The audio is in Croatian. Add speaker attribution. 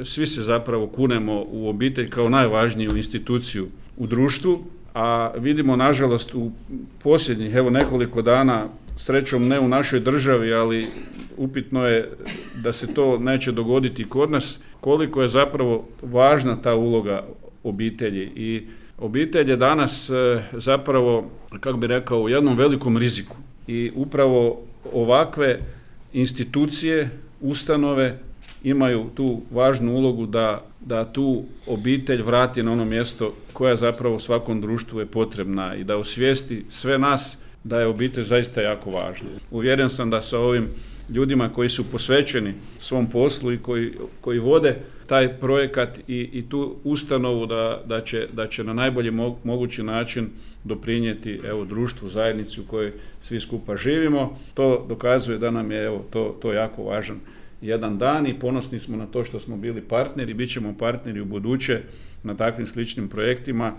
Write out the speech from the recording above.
Speaker 1: Svi se zapravo kunemo u obitelj kao najvažniju instituciju u društvu, a vidimo nažalost u posljednjih nekoliko dana, srećom ne u našoj državi, ali upitno je da se to neće dogoditi kod nas, koliko je zapravo važna ta uloga obitelji. I obitelj je danas zapravo, kako bi rekao, u jednom velikom riziku. I upravo ovakve institucije, ustanove imaju tu važnu ulogu da tu obitelj vrati na ono mjesto koja zapravo svakom društvu je potrebna i da osvijesti sve nas da je obitelj zaista jako važna. Uvjeren sam da sa ovim ljudima koji su posvećeni svom poslu i koji vode taj projekat i tu ustanovu da će na najbolji mogući način doprinijeti društvu, zajednici u kojoj svi skupa živimo. To dokazuje da nam je to jako važan jedan dan i ponosni smo na to što smo bili partneri, bit ćemo partneri u buduće na takvim sličnim projektima.